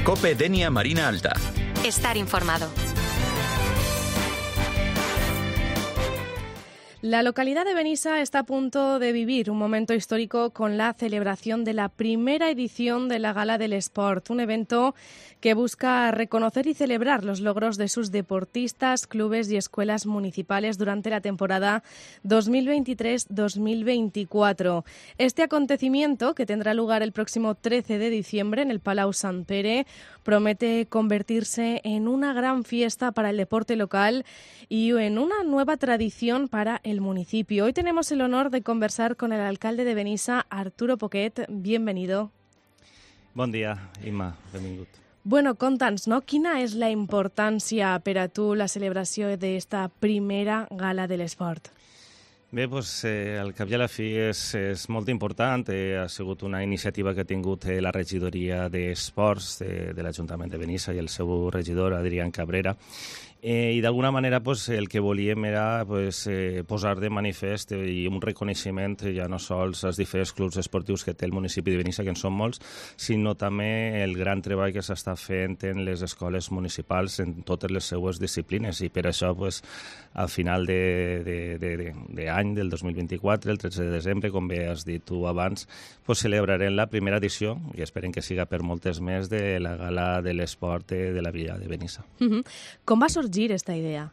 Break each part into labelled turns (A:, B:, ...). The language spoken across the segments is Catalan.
A: COPE Denia Marina Alta.
B: Estar informado.
C: La localidad de Benissa está a punto de vivir un momento histórico con la celebración de la primera edición de la Gala del Esport, un evento que busca reconocer y celebrar los logros de sus deportistas, clubes y escuelas municipales durante la temporada 2023-2024. Este acontecimiento, que tendrá lugar el próximo 13 de diciembre en el Palau Sant Pere, promete convertirse en una gran fiesta para el deporte local y en una nueva tradición para el municipio. Hoy tenemos el honor de conversar con el alcalde de Benissa, Arturo Poquet. Bienvenido.
D: Bon dia, Imma. Benvingut.
C: Bueno, conta'ns, no? Quina és la importància per a tu la celebració d'esta primera gala de l'esport?
D: Bé, doncs, al cap i a la fi és molt important. Ha sigut una iniciativa que ha tingut la regidoria d'Esports de l'Ajuntament de Benissa i el seu regidor, Adrián Cabrera. I d'alguna manera el que volíem era posar de manifest i un reconeixement ja no sols als diferents clubs esportius que té el municipi de Benissa, que en són molts, sinó també el gran treball que s'està fent en les escoles municipals en totes les seues disciplines. I per això, al final d'any del 2024, el 13 de desembre, com bé has dit tu abans, celebrarem la primera edició, i esperem que siga per moltes més, de la Gala de l'Esport de la Vila de Benissa.
C: Com va sorgir esta idea?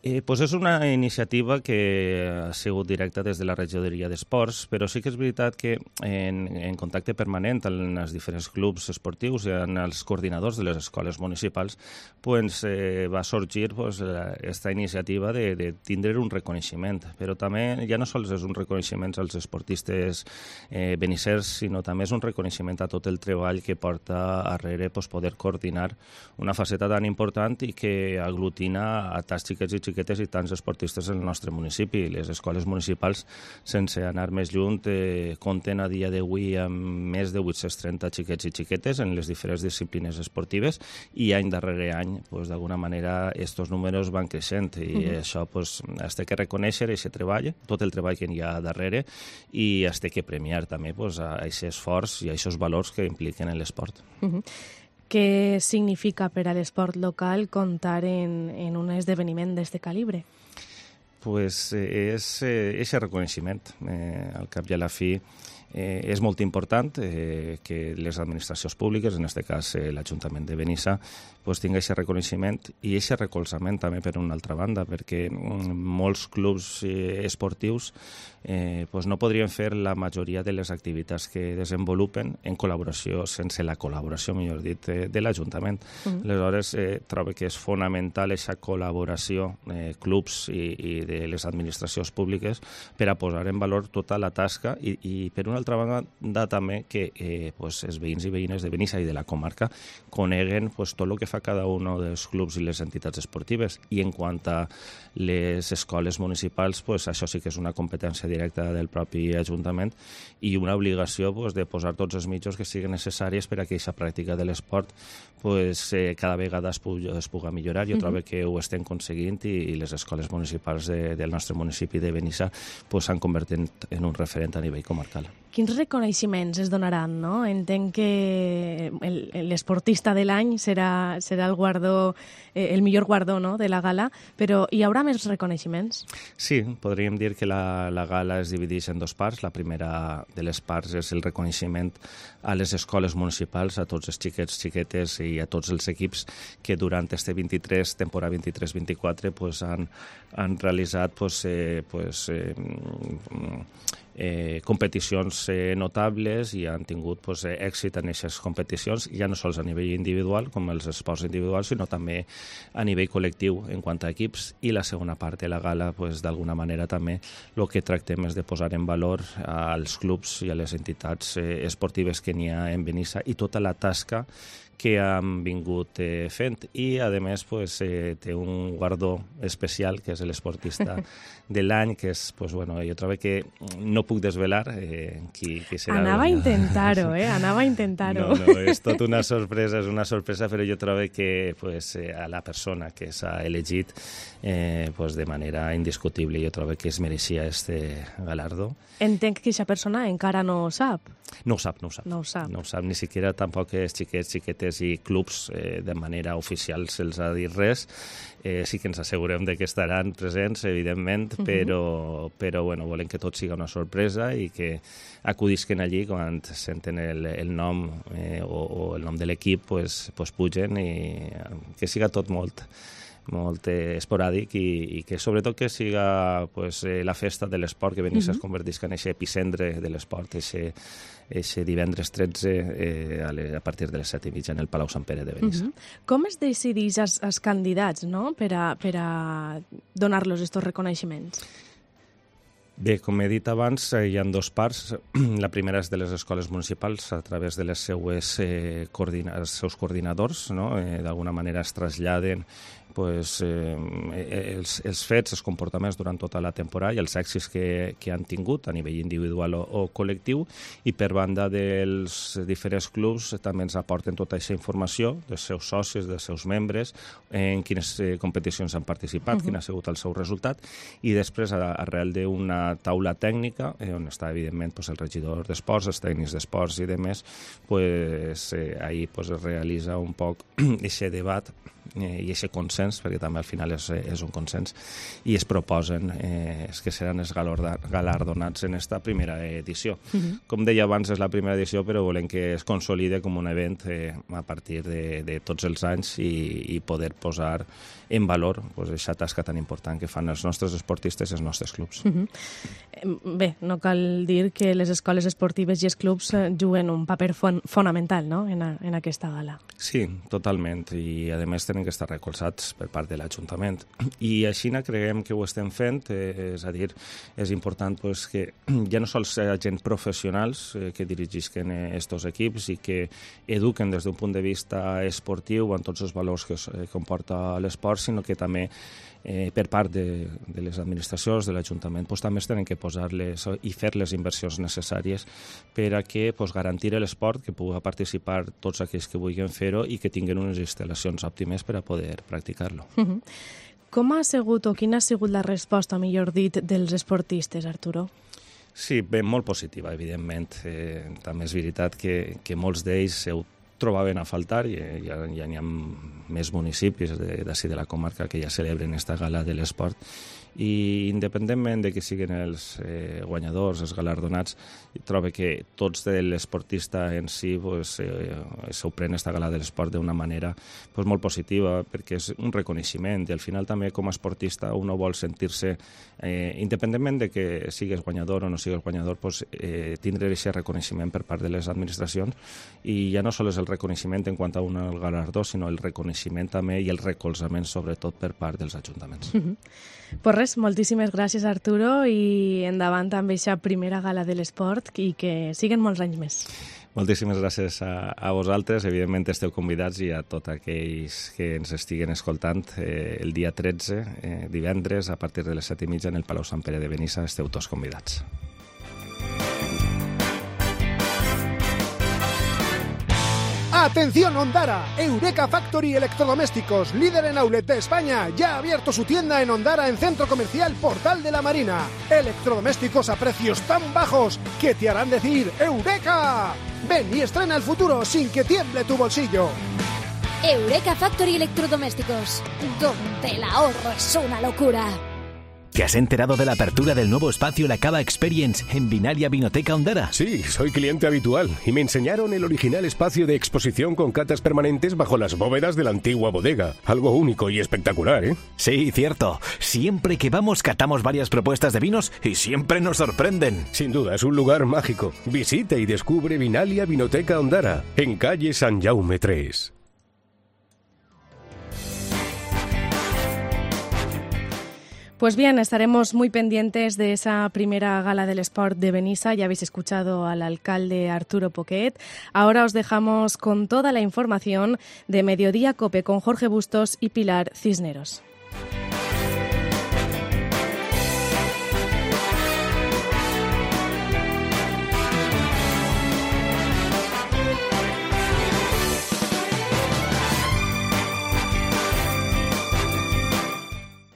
D: És una iniciativa que ha sigut directa des de la regidoria d'Esports, però sí que és veritat que en contacte permanent amb els diferents clubs esportius i amb els coordinadors de les escoles municipals va sorgir aquesta iniciativa de tindre un reconeixement. Però també ja no sols és un reconeixement als esportistes benissers, sinó també és un reconeixement a tot el treball que porta darrere poder coordinar una faceta tan important i que aglutina a tants xiquets i xiquetes i tants esportistes en el nostre municipi. Les escoles municipals, sense anar més lluny, compten a dia d'avui amb més de 830 xiquets i xiquetes en les diferents disciplines esportives i any darrere any, d'alguna manera, aquests números van creixent i això es té que reconèixer, aquest treball, tot el treball que hi ha darrere, i es té que premiar també aquest esforç i aquests valors que impliquen en l'esport.
C: Què significa per a l'esport local comptar en un esdeveniment d'aquest calibre?
D: És aquest reconeixement. Al cap i a la fi és molt important que les administracions públiques, en aquest cas l'Ajuntament de Benissa, tingui aquest reconeixement i aquest recolzament també per una altra banda, perquè molts clubs esportius no podrien fer la majoria de les activitats que desenvolupen en col·laboració, sense la col·laboració, millor dit, de l'Ajuntament. Aleshores, trobo que és fonamental aquesta col·laboració clubs i de les administracions públiques per a posar en valor tota la tasca i per una altra banda també que els veïns i veïnes de Benissa i de la comarca coneguen tot el que fa cada un dels clubs i les entitats esportives. I en quant a les escoles municipals, això sí que és una competència directa del propi Ajuntament i una obligació de posar tots els mitjans que siguin necessaris per a que aquesta pràctica de l'esport cada vegada es pugui millorar. Jo trobo que ho estem aconseguint i les escoles municipals del nostre municipi de Benissa s'han convertit en un referent a nivell comarcal.
C: Quins reconeixements es donaran, no? Entenc que l'esportista de l'any serà el guardó, el millor guardó, no?, de la gala, però hi haurà més reconeixements?
D: Sí, podríem dir que la gala es divideix en dues parts. La primera de les parts és el reconeixement a les escoles municipals, a tots els xiquets, xiquetes i a tots els equips que durant este temporada 23-24 han realitzat competicions notables i han tingut èxit en aquestes competicions, ja no sols a nivell individual, com els esports individuals, sinó també a nivell col·lectiu en quant a equips. I la segona part de la gala, d'alguna manera també, el que tractem és de posar en valor als clubs i a les entitats esportives que n'hi ha en Benissa i tota la tasca que han vingut fent. I, a més, té un guardó especial, que és l'esportista de l'any, que és, jo trobo que no puc desvelar qui serà.
C: Anava a intentar-ho, anava a intentar-ho.
D: No, és tot una sorpresa, però jo trobo que a la persona que s'ha elegit de manera indiscutible, jo trobo que es mereixia este galardó.
C: Entenc que aquesta persona encara no ho sap.
D: No ho sap.
C: No ho sap.
D: No ho sap, ni siquiera tampoc els xiquets, xiquetes i clubs de manera oficial se'ls ha dit res. Sí que ens assegurem de que estaran presents, evidentment, però bueno, volem que tot siga una sorpresa i que acudisquen allí quan senten el nom o el nom de l'equip, pues pugen i que siga tot molt esporàdic i que sobretot que siga la festa de l'esport, que Benissa es convertisca en aquest epicentre de l'esport, aquest divendres 13 a partir de les 7:30 en el Palau Sant Pere de Benissa.
C: Com es decideix els candidats, no?, per a donar-los aquests reconeixements?
D: Bé, com he dit abans, hi ha dues parts. La primera és de les escoles municipals, a través de els seus coordinadors, no? D'alguna manera es traslladen els fets, els comportaments durant tota la temporada i els èxits que han tingut a nivell individual o col·lectiu, i per banda dels diferents clubs també ens aporten tota aquesta informació dels seus socis, dels seus membres, en quines competicions han participat, quin ha sigut el seu resultat, i després, arrel d'una taula tècnica, on està evidentment el regidor d'esports, els tècnics d'esports i demés, ahir es realitza un poc aquest debat i aquest consens, perquè també al final és un consens, i es proposen que seran els galardonats en esta primera edició. Com deia abans, és la primera edició, però volem que es consolide com un event a partir de tots els anys i poder posar en valor aquesta tasca tan important que fan els nostres esportistes i els nostres clubs.
C: Bé, no cal dir que les escoles esportives i els clubs juguen un paper fonamental, no?, en aquesta gala.
D: Sí, totalment, i a més tenen que estar recolzats per part de l'Ajuntament. I així creiem que ho estem fent, és a dir, és important que ja no sols agents professionals que dirigisquen estos equips i que eduquen des d'un punt de vista esportiu amb tots els valors que comporta l'esport, sinó que també per part de les administracions, de l'Ajuntament, també es tenen que posar-les i fer les inversions necessàries per a que garantir l'esport, que pugui participar tots aquells que vulguin fer-ho i que tinguin unes instal·lacions òptimes per a poder practicar-lo.
C: Com ha sigut o quina ha sigut la resposta, millor dit, dels esportistes, Arturo?
D: Sí, bé, molt positiva, evidentment. També és veritat que molts d'ells ho trobaven a faltar, i ja n'hi ha més municipis d'ací de la comarca que ja celebren esta gala de l'esport, i independentment de que siguin els guanyadors, els galardonats, trobo que tots de l'esportista en si s'ho pren esta gala de l'esport d'una manera molt positiva, perquè és un reconeixement, i al final també com a esportista uno vol sentir-se, independentment de que sigues guanyador o no sigues guanyador, tindre aquest reconeixement per part de les administracions, i ja no sols és el reconeixement en quant a un galardó, sinó el reconeixement també i el recolzament sobretot per part dels ajuntaments.
C: Pues res, moltíssimes gràcies, Arturo, i endavant amb aquesta primera gala de l'esport i que siguen molts anys més.
D: Moltíssimes gràcies a vosaltres. Evidentment esteu convidats, i a tots aquells que ens estiguen escoltant, el dia 13, divendres, a partir de les 7:30 en el Palau Sant Pere de Benissa, esteu tots convidats.
A: ¡Atención, Ondara! Eureka Factory Electrodomésticos, líder en outlet de España, ya ha abierto su tienda en Ondara, en Centro Comercial Portal de la Marina. Electrodomésticos a precios tan bajos que te harán decir ¡Eureka! Ven y estrena el futuro sin que tiemble tu bolsillo.
B: Eureka Factory Electrodomésticos, donde el ahorro es una locura.
E: ¿Te has enterado de la apertura del nuevo espacio La Cava Experience en Vinalia Vinoteca Ondara?
F: Sí, soy cliente habitual y me enseñaron el original espacio de exposición con catas permanentes bajo las bóvedas de la antigua bodega. Algo único y espectacular, ¿eh?
E: Sí, cierto. Siempre que vamos catamos varias propuestas de vinos y siempre nos sorprenden.
F: Sin duda, es un lugar mágico. Visita y descubre Vinalia Vinoteca Ondara, en calle San Jaume 3.
C: Pues bien, estaremos muy pendientes de esa primera gala del Sport de Benissa. Ya habéis escuchado al alcalde Arturo Poquet. Ahora os dejamos con toda la información de Mediodía COPE con Jorge Bustos y Pilar Cisneros.